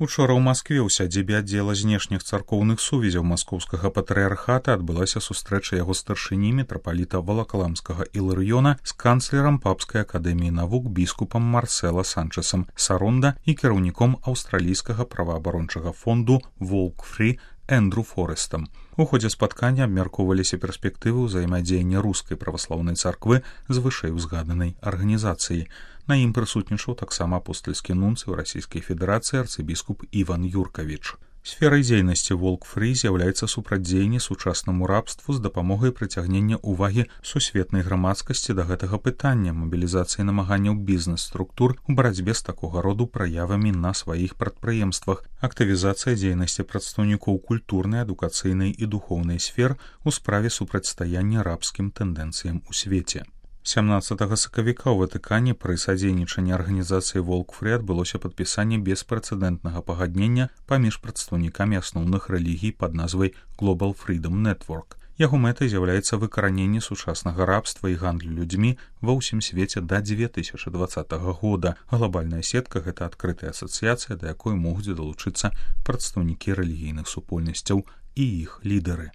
Учора ў Маскве ў сядзібе аддзела знешніх царкоўных сувязяў маскоўскага патрыархата адбылася сустрэча яго старшыні мітрапаліта Валакаламскага Іларыёна з канцлерам папскай акадэміі навук біскупам Марсела Санчесам Саронда і кіраўніком аўстралійскага праваабарончага фонду Волк-Фрі Эндру Форестам. У ходзе спаткання абмяркоўваліся перспектывы ўзаемадзеяння рускай праваслаўнай царквы з вышэйузгаданай арганізацыяй. На ім прысутнічаў таксама апостальскі нунцый у Расійскай Федэрацыі арцыбіскуп Іван Юркавіч. Сферай дзейнасці Волк-Фрі з'яўляецца супрацьдзеянне сучаснаму рабству з дапамогай прыцягнення ўвагі сусветнай грамадскасці да гэтага пытання, мабілізацыі намаганняў бізнес-структур у барацьбе з такога роду праявамі на сваіх прадпрыемствах, актывізацыя дзейнасці прадстаўнікоў культурнай, адукацыйнай і духоўнай сфер у справе супрацьстаяння рабскім тэндэнцыям у свеце. 17 сакавіка ў Ватыкане пры садзейнічанні арганізацыі Волк-Фрі адбылося падпісанне беспрэцэдэнтнага пагаднення паміж прадстаўнікамі асноўных рэлігій пад назвай Global Freedom Network. Яго мэтай з'яўляецца выкараненне сучаснага рабства і гандлю людзьмі ва ўсім свеце да 2020 года. Глобальная сетка – гэта адкрытая асацыяцыя, да якой могуць далучыцца прадстаўнікі рэлігійных супольнасцяў і іх лідары.